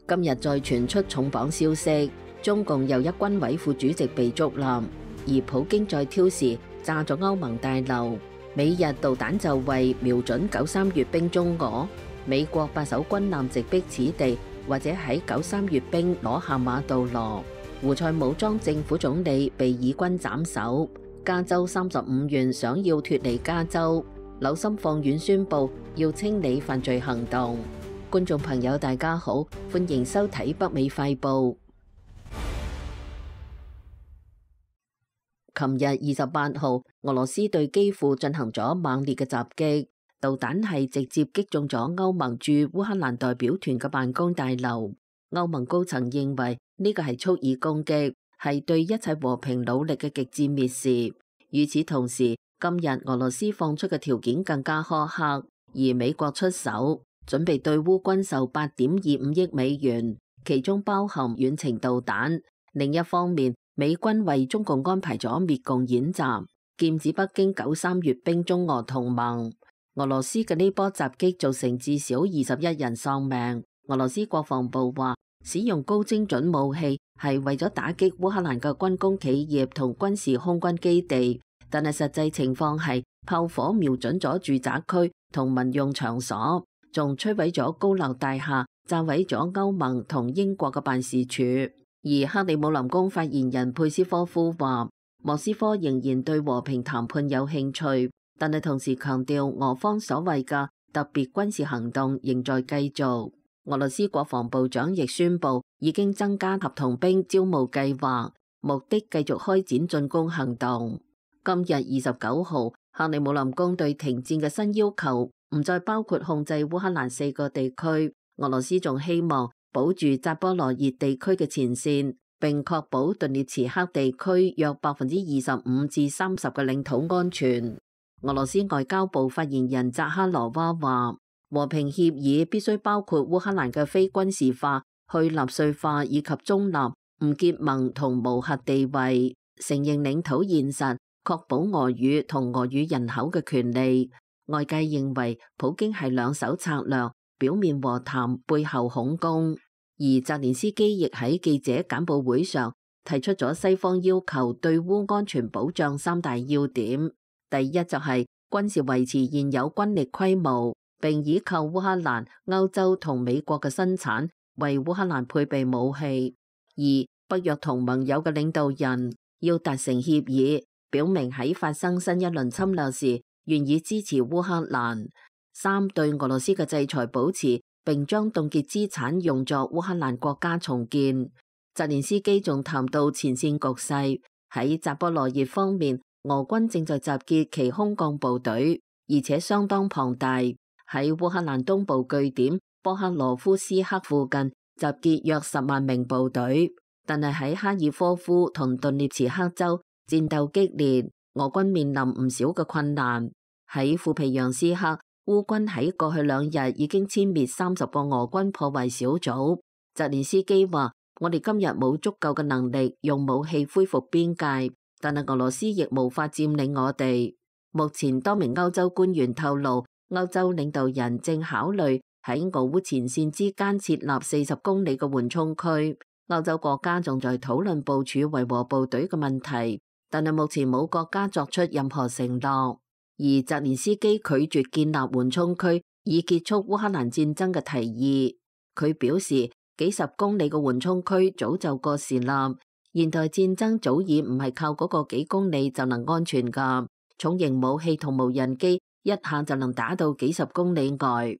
今日再傳出重磅消息，中共又一軍委副主席被捉拿，而普京再挑事炸咗歐盟大樓。美日導彈就位瞄準93閱兵中俄，美國8艘軍艦直逼此地，或者喺93閱兵攞下馬杜羅。胡塞武裝政府總理被以軍斬首。加州35縣想要脫離加州，紐森放院宣布要清理犯罪行動。觀眾朋友大家好，歡迎收睇北美快報。琴日28號，俄羅斯對基輔進行咗猛烈嘅襲擊，導彈係直接擊中咗歐盟駐烏克蘭代表團嘅辦公大樓。歐盟高層認為呢個係蓄意攻擊，係對一切和平努力嘅極致蔑視。與此同時，今日俄羅斯放出嘅條件更加苛刻，而美國出手準備對烏軍售8.25億美元，其中包含遠程導彈。另一方面，美軍為中共安排咗滅共演習，劍指北京93閱兵中俄同盟。俄羅斯嘅呢波襲擊造成至少21人喪命。俄羅斯國防部話，使用高精準武器係為咗打擊烏克蘭嘅軍工企業同軍事空軍基地，但係實際情況係炮火瞄準咗住宅區同民用場所，仲摧毀咗高樓大廈，炸毀咗歐盟同英國嘅辦事處。而克里姆林宮發言人佩斯科夫話，莫斯科仍然對和平談判有興趣，但係同時強調俄方所謂嘅特別軍事行動仍在繼續。俄羅斯國防部長亦宣布已經增加合同兵招募計劃，目的繼續開展進攻行動。今日29號，克里姆林宮對停戰嘅新要求唔再包括控制烏克蘭4個地區，俄羅斯仲希望保住扎波羅熱地區嘅前線，並確保頓涅茨克地區約25%至30%嘅領土安全。俄羅斯外交部發言人扎哈羅娃話，和平協議必須包括烏克蘭嘅非軍事化、去納粹化以及中立、唔結盟同無核地位，承認領土現實，確保俄語同俄語人口嘅權利。外界認為普京係兩手策略，表面和談，背後恐攻。而澤連斯基亦喺記者簡報會上提出咗西方要求對烏安全保障3大要點。第一就係軍事維持現有軍力規模，並依靠烏克蘭、歐洲同美國嘅生產為烏克蘭配備武器。二、北約同盟友嘅領導人要達成協議，表明喺發生新一輪侵略時願意支持烏克蘭。三、對俄羅斯嘅制裁保持，並將凍結資產用作烏克蘭國家重建。澤連斯基仲談到前線局勢，喺扎波羅熱方面，俄軍正在集結其空降部隊，而且相當龐大。喺烏克蘭東部據點波克羅夫斯克附近集結約10萬名部隊，但係喺哈爾科夫同頓涅茨克州戰鬥激烈，俄軍面臨唔少嘅困難。喺庫皮揚斯克，烏軍喺過去2日已經殲滅30個俄軍破壞小組。澤連斯基話，我哋今日冇足夠嘅能力用武器恢復邊界，但係俄羅斯亦無法佔領我哋。目前多名歐洲官員透露，歐洲領導人正考慮喺俄烏前線之間設立40公里嘅緩衝區。歐洲國家仲在討論部署維和部隊嘅問題，但係目前冇國家作出任何承諾。而澤連斯基拒絕建立緩衝區以結束烏克蘭戰爭嘅提議。佢表示，幾十公里嘅緩衝區早就過時啦，現代戰爭早已唔係靠嗰個幾公里就能安全噶，重型武器同無人機一下就能打到幾十公里外。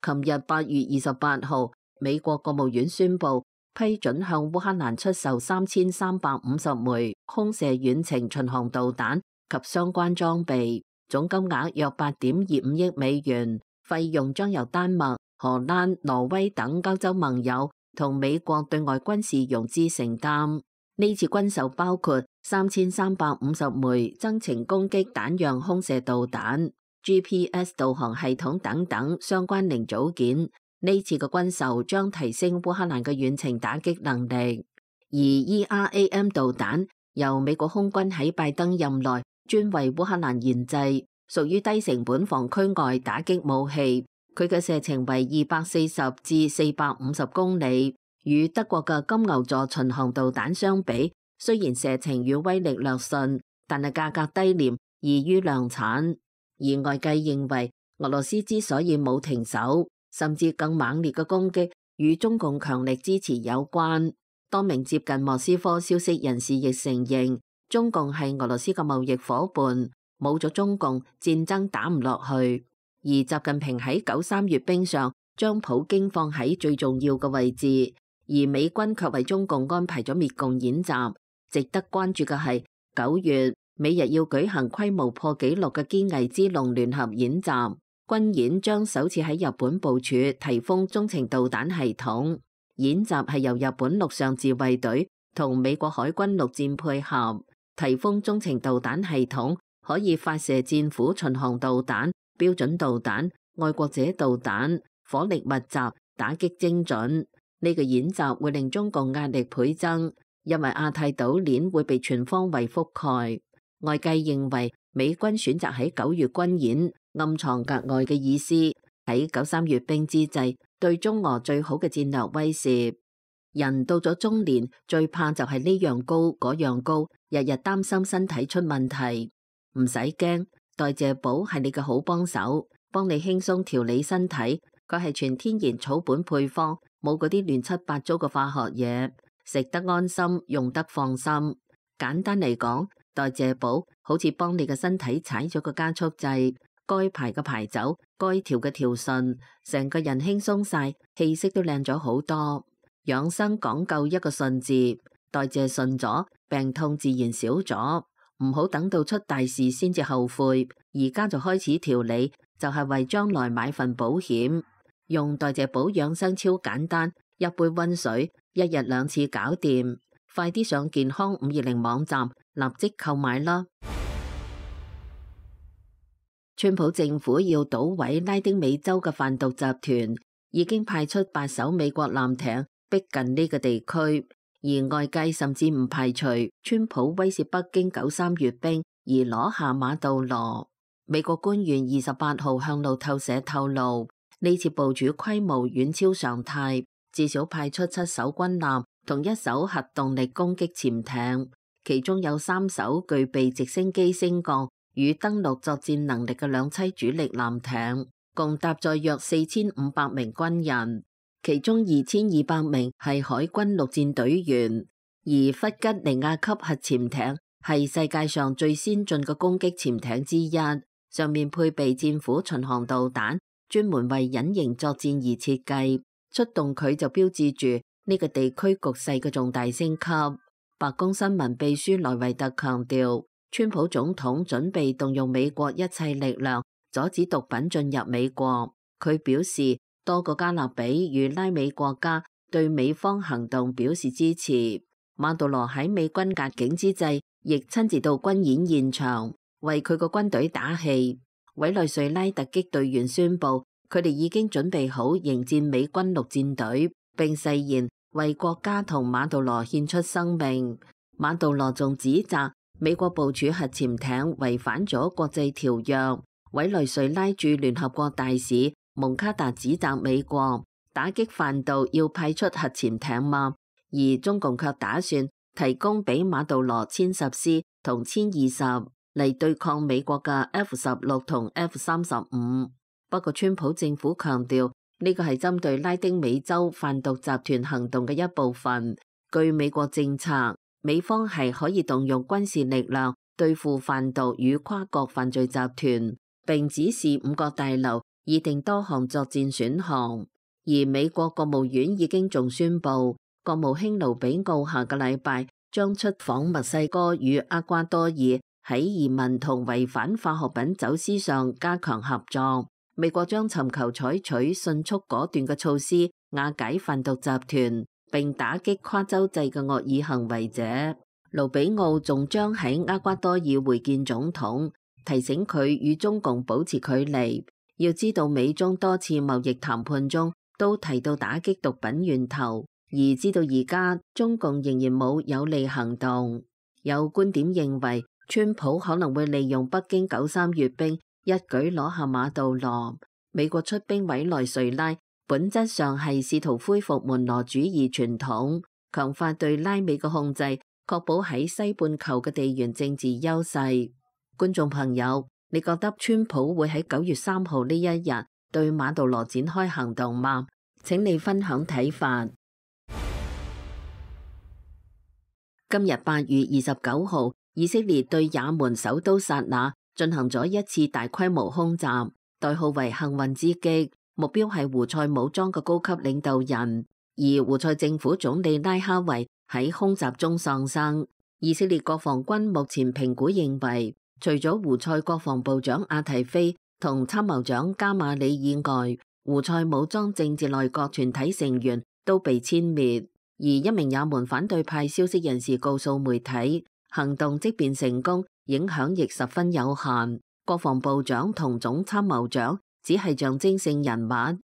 琴日8月28號，美國國務院宣布批准向烏克蘭出售3350枚空射遠程巡航導彈及相關裝備，總金額約8.25億美元，費用將由丹麥、荷蘭、挪威等歐洲盟友同美國對外軍事融資承擔。呢次軍售包括3350枚增程攻擊彈樣空射導彈、GPS 導航系統等等相關零組件。呢次嘅軍售將提升烏克蘭嘅遠程打擊能力。而 ERAM 導彈由美國空軍喺拜登任內專為烏克蘭研製，屬於低成本防區外打擊武器。佢嘅射程為240至450公里，與德國嘅金牛座巡航導彈相比，雖然射程與威力略遜，但係價格低廉，易於量產。而外界認為，俄羅斯之所以冇停手，甚至更猛烈嘅攻擊，與中共強力支持有關。多名接近莫斯科消息人士亦承認，中共係俄羅斯嘅貿易伙伴，冇咗中共，戰爭打唔落去。而習近平喺9·3閱兵上將普京放喺最重要嘅位置，而美軍卻為中共安排咗滅共演習。值得關注嘅係9月，美日要舉行規模破紀錄嘅堅毅之龍聯合演習，軍演將首次喺日本部署提豐中程導彈系統。演習係由日本陸上自衛隊同美國海軍陸戰配合。提豐中程導彈系統可以發射戰斧巡航導彈、標準導彈、愛國者導彈，火力密集，打擊精準。呢個演習會令中共壓力倍增，因為亞太島鏈會被全方位覆蓋。外界認為美軍選擇喺9月軍演，暗藏格外嘅意思，喺9·3閱兵之際，對中俄最好嘅戰略威懾。人到咗中年，最怕就係呢樣高嗰樣高，日日擔心身體出問題。唔使驚，代謝寶係你嘅好幫手，幫你輕鬆調理身體。佢係全天然草本配方，冇嗰啲亂七八糟嘅化學嘢，食得安心，用得放心。簡單嚟講，代謝寶好似幫你嘅身體踩咗個加速掣，該排嘅排走，該調嘅調順，成個人輕鬆晒，氣色都靚咗好多。養生講究一個順字，代謝順咗，病痛自然少咗。唔好等到出大事先至後悔，而家就開始調理，就係為將來買份保險。用代謝寶養生超簡單，一杯溫水，一日2次搞掂。快啲上健康520網站立即購買啦！川普政府要搗毀拉丁美洲嘅販毒集團，已經派出8艘美國艦艇逼近呢個地區，而外界甚至唔排除川普威懾北京9·3閱兵而攞下馬杜羅。美國官員28號向路透社透露，呢次部署規模遠超常態，至少派出7艘軍艦同1艘核動力攻擊潛艇，其中有3艘具備直升機升降與登陸作戰能力嘅2棲主力艦艇，共搭載約4500名軍人。其中2200名係海軍陸戰隊員，而弗吉尼亞級核潛艇係世界上最先進嘅攻擊潛艇之一，上面配備戰斧巡航導彈，專門為隱形作戰而設計。出動佢就標誌住呢個地區局勢嘅重大升級。白宮新聞秘書萊維特強調，川普總統準備動用美國一切力量阻止毒品進入美國。佢表示，多個加勒比與拉美國家對美方行動表示支持。馬杜羅喺美軍壓境之際，亦親自到軍演現場為佢個軍隊打氣。委內瑞拉突擊隊員宣布，佢哋已經準備好迎戰美軍陸戰隊，並誓言為國家同馬杜羅獻出生命。馬杜羅仲指責美國部署核潛艇違反咗國際條約。委內瑞拉駐聯合國大使蒙卡達指責美國打擊販毒要派出核潛艇嗎？而中共卻打算提供俾馬杜羅1010同1020嚟對抗美國嘅 F-16同 F-35。不過川普政府強調呢個係針對拉丁美洲販毒集團行動嘅一部分。據美國政策，美方係可以動用軍事力量對付販毒與跨國犯罪集團，並指示5角大樓擬定多項作戰選項。而美國國務院已經仲宣布，國務卿盧比奧下個禮拜將出訪墨西哥與厄瓜多爾，喺移民同違反化學品走私上加強合作。美國將尋求採取迅速果斷嘅措施，瓦解販毒集團，並打擊跨洲際嘅惡意行為者。盧比奧仲將喺厄瓜多爾會見總統，提醒佢與中共保持距離。要知道，美中多次貿易談判中都提到打擊毒品源頭，而知道而家中共仍然冇有利行動。有觀點認為，川普可能會利用北京9·3閱兵，一舉攞下馬杜羅。美國出兵委內瑞拉，本質上係試圖恢復門羅主義傳統，強化對拉美嘅控制，確保喺西半球嘅地緣政治優勢。觀眾朋友，你覺得川普會喺9月3號呢一日對馬杜羅展開行動嗎？請你分享睇法。今日8月29號，以色列對也門首都薩那進行咗一次大規模空襲，代號為幸運之擊，目標係胡塞武裝嘅高級領導人，而胡塞政府總理拉哈維喺空襲中喪生。以色列國防軍目前評估認為，除咗胡塞國防部長阿提菲同參謀長加馬里以外，胡塞武裝政治內閣全體成員都被殲滅。而一名也門反對派消息人士告訴媒體，行動即便成功，影響亦十分有限。國防部長同總參謀長只係象徵性人物，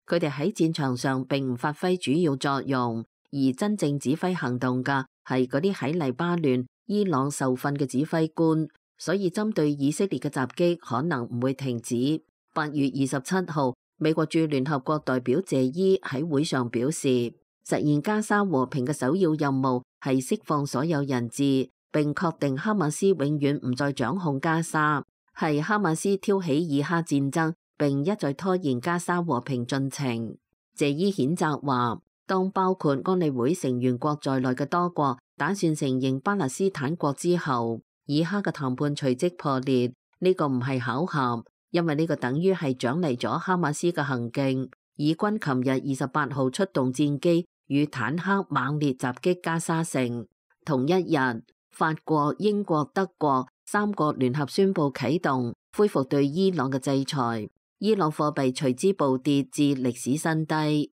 佢哋喺戰場上並唔發揮主要作用，而真正指揮行動嘅係嗰啲喺黎巴嫩、伊朗受訓嘅指揮官。所以針對以色列嘅襲擊可能唔會停止。8月27號，美國駐聯合國代表謝伊喺會上表示，實現加沙和平嘅首要任務係釋放所有人質，並確定哈馬斯永遠唔再掌控加沙，係哈馬斯挑起以哈戰爭，並一再拖延加沙和平進程。謝伊譴責話，當包括安理會成員國在內嘅多國打算承認巴勒斯坦國之後，以哈嘅談判隨即破裂。呢個唔係巧合，因為呢個等於係獎勵咗哈馬斯嘅行徑。以軍琴日28號出動戰機與坦克猛烈襲擊加沙城。同一日，法國、英國、德國3國聯合宣布啟動恢復對伊朗嘅制裁，伊朗貨幣隨之暴跌至歷史新低。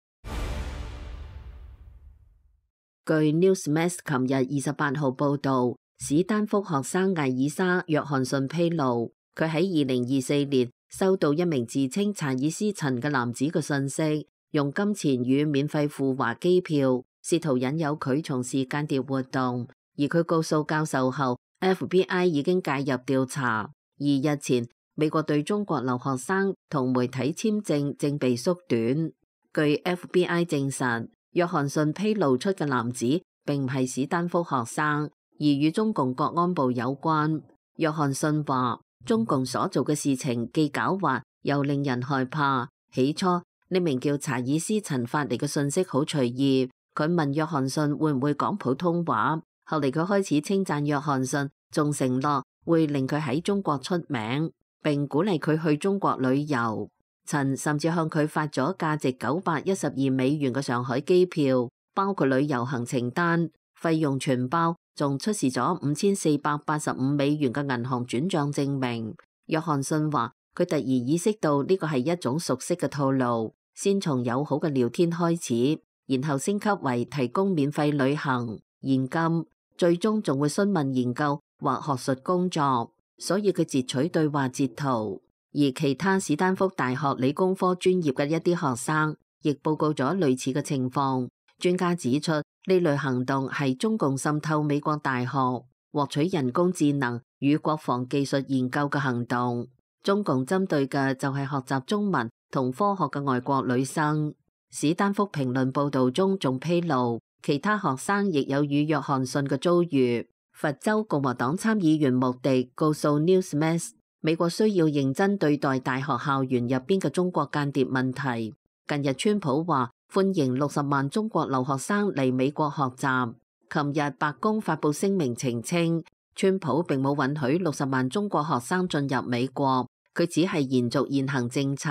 據 Newsmax 琴日28號報導，史丹福學生艾爾莎·約翰遜披露，佢喺2024年收到一名自稱查爾斯陳嘅男子嘅信息，用金錢與免費赴華機票，試圖引誘佢從事間諜活動。而佢告訴教授後 ，FBI 已經介入調查。而日前，美國對中國留學生同媒體簽證正被縮短。據 FBI 證實，約翰遜披露出嘅男子並唔係史丹福學生，而與中共國安部有關。約翰遜話，中共所做嘅事情既狡猾又令人害怕。起初，呢名叫查爾斯陳發嚟嘅信息好隨意，佢問約翰遜會唔會講普通話。後嚟佢開始稱讚約翰遜，仲承諾會令佢喺中國出名，並鼓勵佢去中國旅遊。陳甚至向佢發咗價值912美元嘅上海機票，包括旅遊行程單，費用全包，仲出示咗5485美元嘅銀行轉賬證明。約翰遜話，佢突然意識到呢個係一種熟悉嘅套路，先從友好嘅聊天開始，然後升級為提供免費旅行、現金，最終仲會詢問研究或學術工作。所以佢截取對話截圖。而其他史丹福大學理工科專業嘅一啲學生亦報告咗類似嘅情況。專家指出，呢類行動係中共滲透美國大學，獲取人工智能與國防技術研究嘅行動。中共針對嘅就係學習中文同科學嘅外國女生。史丹福評論報導中仲披露，其他學生亦有與約翰遜嘅遭遇。佛州共和黨參議員穆迪告訴 Newsmax， 美國需要認真對待大學校園入邊嘅中國間諜問題。近日川普話歡迎60萬中國留學生嚟美國學習。琴日白宮發布聲明澄清，川普並冇允許60萬中國學生進入美國，佢只係延續現行政策，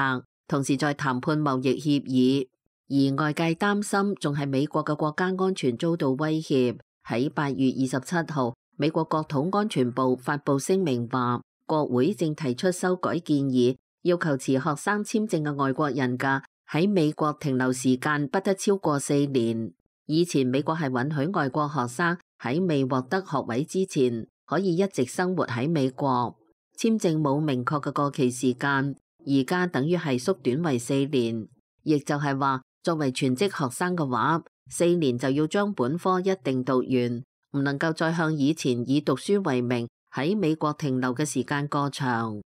同時在談判貿易協議。而外界擔心仲係美國嘅國家安全遭到威脅。喺8月27號，美國國土安全部發布聲明話，國會正提出修改建議，要求持學生簽證嘅外國人嘅喺美國停留時間不得超過4年。以前美國係允許外國學生喺未獲得學位之前可以一直生活喺美國，簽證冇明確嘅過期時間，而家等於係縮短為4年，亦就係話作為全職學生嘅話，4年就要將本科一定讀完，唔能夠再向以前以讀書為名喺美國停留嘅時間過長。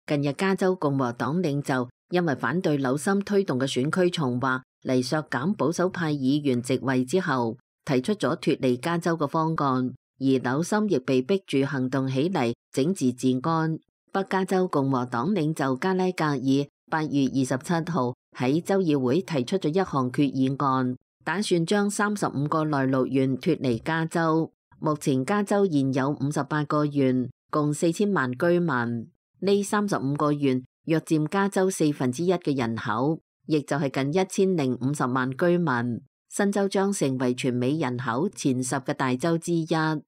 近日加州共和黨領袖因為反對紐森推動嘅選區重劃嚟削減保守派議員席位之後，提出咗脫離加州嘅方案，而紐森亦被逼住行動起嚟整治治安。北加州共和黨領袖加拉格爾8月27號喺州議會提出咗一項決議案，打算將35個內陸縣脫離加州。目前加州現有58個縣，共4000萬居民。呢35個縣約佔加州1/4嘅人口，亦就係近1050萬居民。新州將成為全美人口前10嘅大州之一，範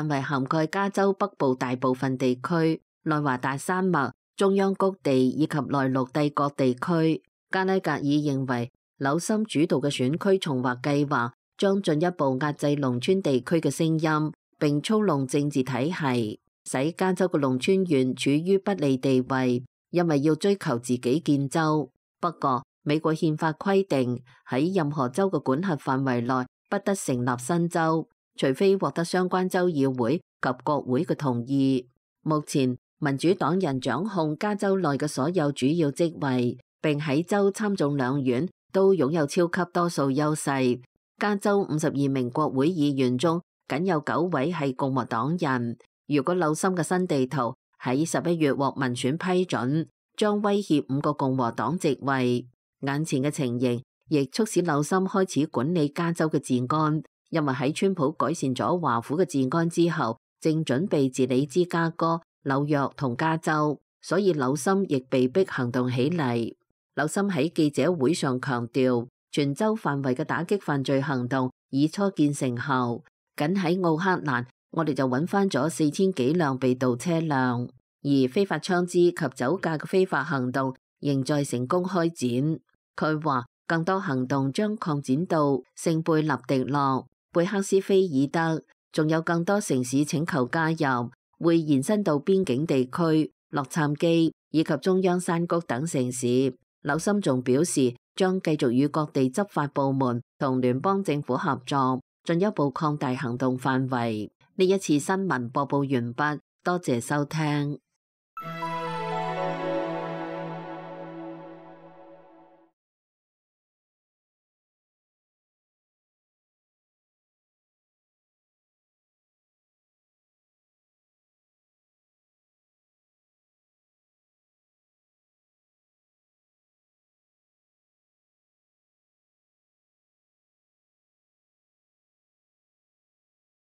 圍涵蓋加州北部大部分地區、內華達山脈、中央谷地以及內陸帝國地區。加拉格爾認為，紐森主導嘅選區重劃計劃將進一步壓制農村地區嘅聲音，並操弄政治體系，使加州嘅農村縣處於不利地位，因為要追求自己建州。不過，美國憲法規定喺任何州嘅管轄範圍內不得成立新州，除非獲得相關州議會及國會嘅同意。目前，民主黨人掌控加州內嘅所有主要職位，並喺州參眾兩院都擁有超級多數優勢。加州52名國會議員中，僅有9位係共和黨人。如果紐森嘅新地圖喺11月獲民選批准，將威脅5個共和黨席位。眼前嘅情形亦促使紐森開始管理加州嘅治安，因為喺川普改善咗華府嘅治安之後，正準備治理芝加哥、紐約同加州，所以紐森亦被迫行動起嚟。紐森喺記者會上強調，全州範圍嘅打擊犯罪行動已初見成效。僅喺奧克蘭，我哋就揾翻咗4000幾輛被盜車輛，而非法槍支及酒駕嘅非法行動仍在成功開展。佢話，更多行動將擴展到聖貝納迪諾、貝克斯菲爾德，仲有更多城市請求加入，會延伸到邊境地區、洛杉磯以及中央山谷等城市。紐森仲表示，將繼續與各地執法部門同聯邦政府合作，進一步擴大行動範圍。呢一次新聞播報完畢，多謝收聽。